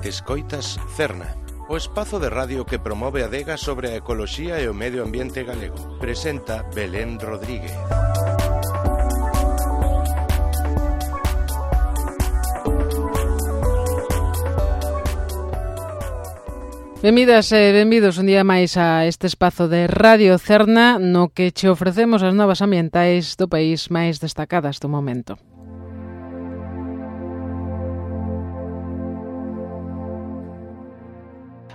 Escoitas Cerna, o espazo de radio que promove a adega sobre a ecoloxía e o medio ambiente galego. Presenta Belén Rodríguez. Benvidas e benvidos un día máis a este espazo de Radio Cerna no que che ofrecemos as novas ambientais do país máis destacadas do momento.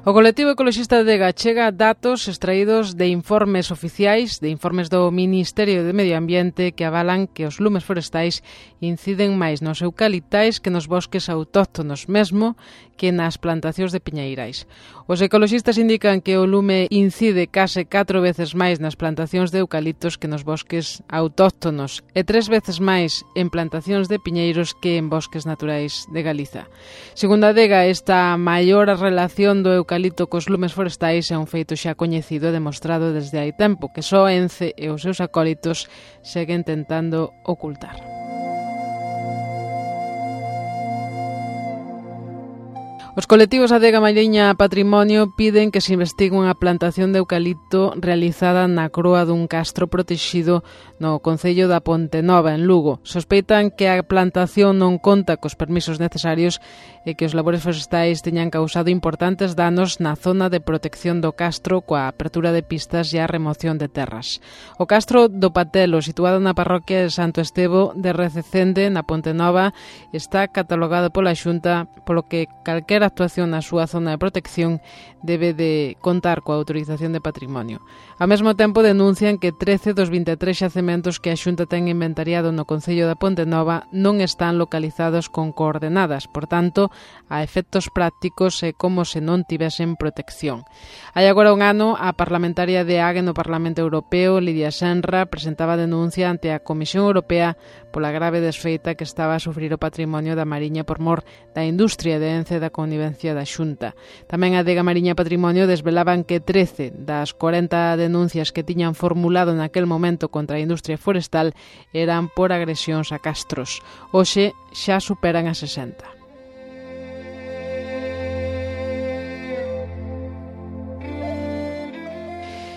O colectivo ecoloxista de Adega chega datos extraídos de informes oficiais, de informes do Ministerio de Medio Ambiente que avalan que os lumes forestais inciden máis nos eucaliptais que nos bosques autóctonos, mesmo que nas plantacións de piñeirais. Os ecoloxistas indican que o lume incide case 4 veces máis nas plantacións de eucaliptos que nos bosques autóctonos e 3 veces máis en plantacións de piñeiros que en bosques naturais de Galiza. Segundo a Adega, esta maior relación do eucalipto cos lumes forestais é un feito xa coñecido e demostrado desde hai tempo, que só Ence e os seus acólitos seguen tentando ocultar. Os colectivos Adega Mariña Patrimonio piden que se investigue unha plantación de eucalipto realizada na croa dun castro protexido no concello da Pontenova, en Lugo. Sospeitan que a plantación non conta cos permisos necesarios e que os labores forestais teñan causado importantes danos na zona de protección do castro coa apertura de pistas e a remoción de terras. O castro do Patelo, situado na parroquia de Santo Estevo de Rececende, na Pontenova, está catalogado pola Xunta, polo que calquera actuación na súa zona de protección debe de contar coa autorización de patrimonio. Ao mesmo tempo denuncian que 13 dos 23 xacementos que a Xunta ten inventariado no concello da Pontenova non están localizados con coordenadas, por tanto, a efectos prácticos é como se non tivesen protección. Hai agora un ano, a parlamentaria de AGE no Parlamento Europeo, Lidia Senra, presentaba denuncia ante a Comisión Europea pola grave desfeita que estaba a sufrir o patrimonio da Mariña por mor da industria de Ence da connivencia da Xunta. Tamén a Adega Mariña Patrimonio desvelaban que 13 das 40 denuncias que tiñan formulado naquel momento contra a industria forestal eran por agresións a castros. Hoxe xa superan a 60.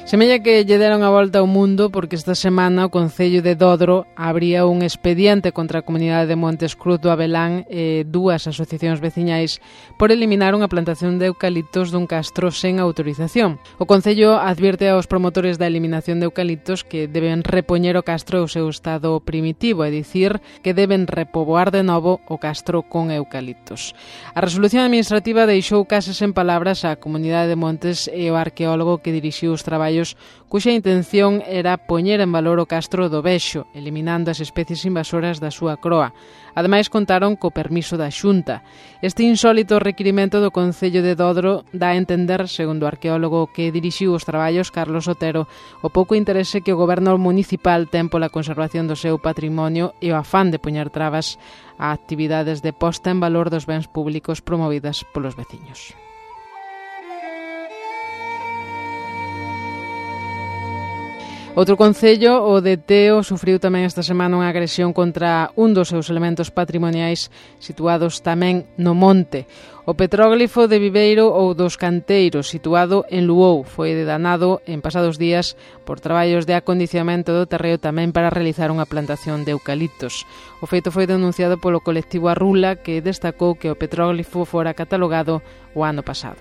Semella que lle deron a volta ao mundo porque esta semana o Concello de Dodro abría un expediente contra a comunidade de Montes Cruz do Abelán e dúas asociacións veciñais por eliminar unha plantación de eucaliptos dun castro sen autorización. O Concello advirte aos promotores da eliminación de eucaliptos que deben repoñer o castro ao seu estado primitivo, é dicir, que deben repoboar de novo o castro con eucaliptos. A resolución administrativa deixou case sen palabras a comunidade de Montes e o arqueólogo que dirixiu os traballos cuxa intención era poñer en valor o castro do Bexo, eliminando as especies invasoras da súa croa. Ademais, contaron co permiso da Xunta. Este insólito requirimento do Concello de Dodro dá a entender, segundo o arqueólogo que dirixiu os traballos, Carlos Otero, o pouco interese que o goberno municipal ten pola conservación do seu patrimonio e o afán de poñer trabas a actividades de posta en valor dos bens públicos promovidas polos veciños. Outro concello, o de Teo, sufriu tamén esta semana unha agresión contra un dos seus elementos patrimoniais situados tamén no monte. O petróglifo de Viveiro ou dos Canteiros, situado en Luou, foi danado en pasados días por traballos de acondicionamento do terreo tamén para realizar unha plantación de eucaliptos. O feito foi denunciado polo colectivo Arrula, que destacou que o petróglifo fora catalogado o ano pasado.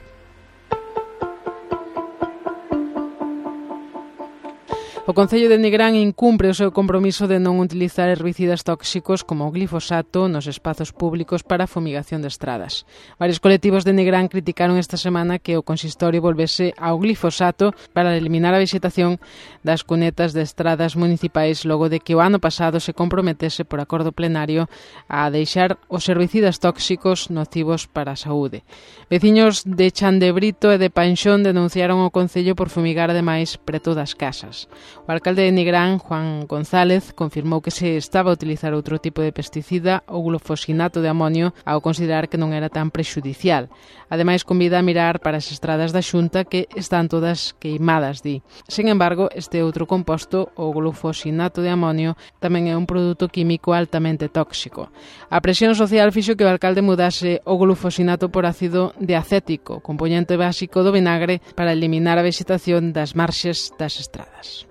O Concello de Nigrán incumpre o seu compromiso de non utilizar herbicidas tóxicos como o glifosato nos espazos públicos para a fumigación de estradas. Varios colectivos de Nigrán criticaron esta semana que o consistorio volvese ao glifosato para eliminar a vexetación das cunetas de estradas municipais logo de que o ano pasado se comprometese por acordo plenario a deixar os herbicidas tóxicos nocivos para a saúde. Veciños de Chandebrito e de Panxón denunciaron o Concello por fumigar ademais preto das casas. O alcalde de Nigrán, Juan González, confirmou que se estaba a utilizar outro tipo de pesticida, o glufosinato de amonio, ao considerar que non era tan prexudicial. Ademais, convida a mirar para as estradas da Xunta que están todas queimadas, di. Sin embargo, este outro composto, o glufosinato de amonio, tamén é un produto químico altamente tóxico. A presión social fixo que o alcalde mudase o glufosinato por ácido diacético, componente básico do vinagre, para eliminar a vexetación das marxes das estradas.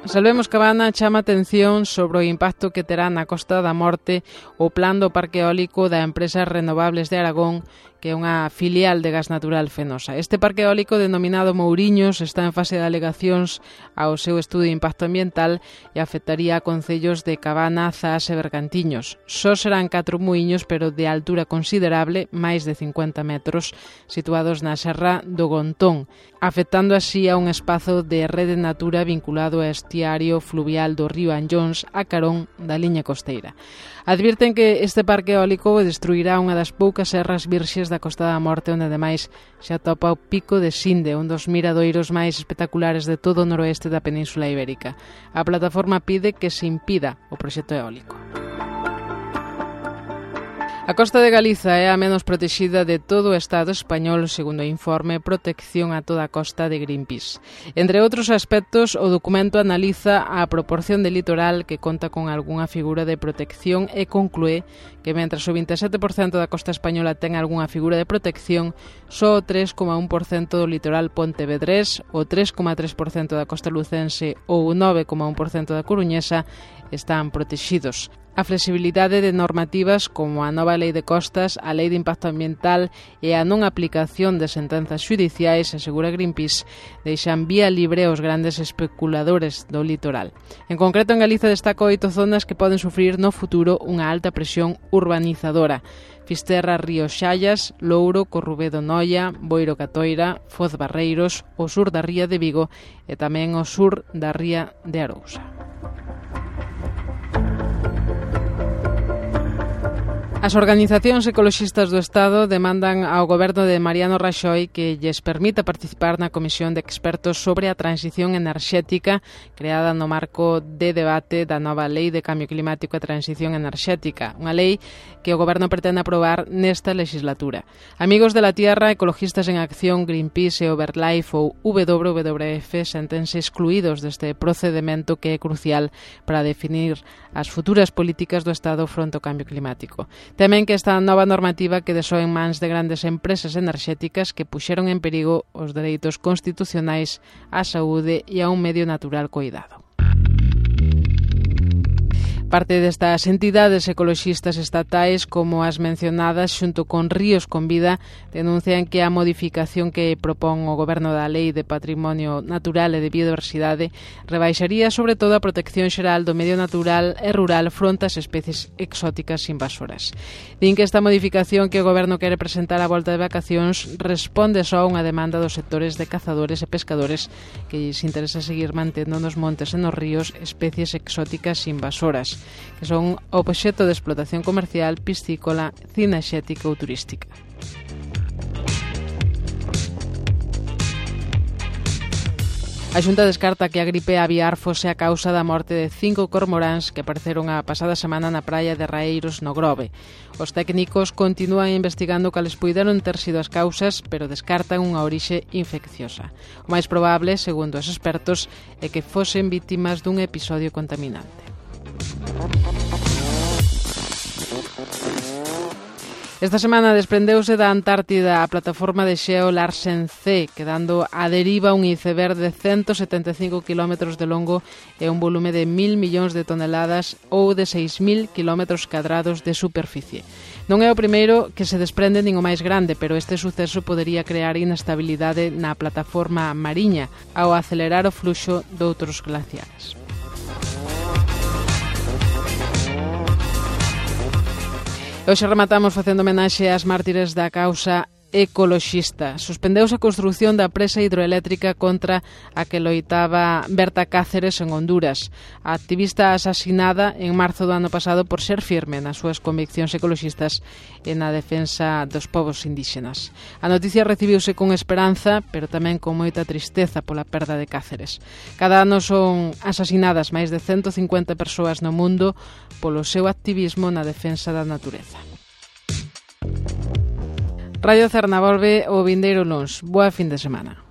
Salvemos Cabana chama atención sobre o impacto que terá na Costa da Morte o plan do parque eólico da empresa Renovables de Aragón, que é unha filial de Gas Natural Fenosa. Este parque eólico denominado Mouriños está en fase de alegacións ao seu estudo de impacto ambiental e afectaría a concellos de Cabana, Zas e Bergantiños. Só serán 4 muiños, pero de altura considerable, máis de 50 metros, situados na serra do Gontón, afectando así a un espazo de rede natura vinculado ao estiario fluvial do río Anllóns a carón da liña costeira. Advirten que este parque eólico destruirá unha das poucas serras virxes da Costa da Morte, onde ademais se atopa o Pico de Sinde, un dos miradoiros máis espectaculares de todo o noroeste da Península Ibérica. A plataforma pide que se impida o proxecto eólico. A costa de Galiza é a menos protexida de todo o Estado español, segundo o informe Protección a toda a costa de Greenpeace. Entre outros aspectos, o documento analiza a proporción de litoral que conta con algunha figura de protección e conclúe que mentras o 27% da costa española ten algunha figura de protección, só o 3,1% do litoral pontevedrés, o 3,3% da costa lucense ou o 9,1% da coruñesa están protexidos. A flexibilidade de normativas como a nova Lei de Costas, a Lei de Impacto Ambiental e a non aplicación de sentenzas xudiciais, asegura Greenpeace, deixan vía libre aos grandes especuladores do litoral. En concreto, en Galiza destaca 8 zonas que poden sufrir no futuro unha alta presión urbanizadora. Fisterra, Río Xallas, Louro, Corrubedo, Noia, Boiro, Catoira, Foz Barreiros, o sur da ría de Vigo e tamén o sur da ría de Arousa. As organizacións ecoloxistas do Estado demandan ao goberno de Mariano Raxoi que lles permita participar na comisión de expertos sobre a transición enerxética creada no marco de debate da nova Lei de Cambio Climático e Transición Enerxética, unha lei que o goberno pretende aprobar nesta legislatura. Amigos de la Tierra, Ecologistas en Acción, Greenpeace e Overlife ou WWF sentense excluídos deste procedimento que é crucial para definir as futuras políticas do Estado fronte ao cambio climático. Temen que esta nova normativa quede só en mans de grandes empresas enerxéticas que puxeron en perigo os dereitos constitucionais á saúde e a un medio natural coidado. Parte destas entidades ecoloxistas estatais, como as mencionadas xunto con Ríos con Vida, denuncian que a modificación que propón o Goberno da Lei de Patrimonio Natural e de Biodiversidade rebaixaría sobre todo a protección xeral do medio natural e rural fronte ás especies exóticas invasoras. Din que esta modificación que o Goberno quere presentar á volta de vacacións responde só a unha demanda dos sectores de cazadores e pescadores que lles interesa seguir mantendo nos montes e nos ríos especies exóticas invasoras, que son obxecto de explotación comercial, piscícola, cinexética ou turística. A Xunta descarta que a gripe aviar fose a causa da morte de 5 cormoráns que apareceron a pasada semana na praia de Raeiros, no Grove. Os técnicos continúan investigando cales puideron ter sido as causas, pero descartan unha orixe infecciosa. O máis probable, segundo os expertos, é que fosen vítimas dun episodio contaminante. Esta semana desprendeuse da Antártida a plataforma de xeo Larsen C, quedando a deriva un iceberg de 175 km de longo e un volume de 1.000 millóns de toneladas ou de 6.000 km cadrados de superficie. Non é o primeiro que se desprende nin o máis grande, pero este suceso podería crear inestabilidade na plataforma mariña ao acelerar o fluxo doutros glaciares. Hoxe rematamos facendo homenaxe ás mártires da causa ecoloxista. Suspendeuse a construción da presa hidroeléctrica contra a que loitaba Berta Cáceres en Honduras. A activista asasinada en marzo do ano pasado por ser firme nas súas conviccións ecoloxistas e na defensa dos povos indígenas. A noticia recibiuse con esperanza, pero tamén con moita tristeza pola perda de Cáceres. Cada ano son asasinadas máis de 150 persoas no mundo polo seu activismo na defensa da natureza. Radio Cerna volve o vindeiro luns. Boa fin de semana.